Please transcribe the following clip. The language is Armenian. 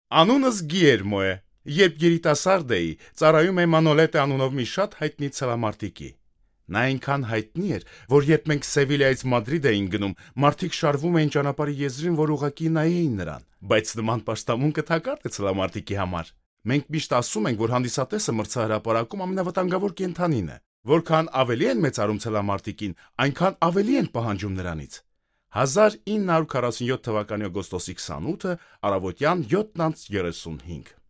Անունս Գիերմո է։ Երբ երիտասարդ էի, ծառայում էի Մանոլետե անունով մի շատ հայտնի ցելամարտիկի։ Նա այնքան հայտնի էր, որ երբ մենք Սևիլիայից Մադրիդ էինք գնում, մարդիկ շարվում էին ճանապարհի եզրին, որ ուղղակի նայեին նրան։ Բայց նման պաշտամունքը թակարդ է ցելամարտիկի համար։ Մենք միշտ ասում ենք, որ հանդիսատեսը մրցահրապարակում ամենավտանգավոր կենդանին է։ Որքան ավելի են մեծարում ցելամարտիկին, այնքան ավելի են պահանջում նրանից։ 1947 թվականի օգոստոսի 28-ը, առավոտյան 7:35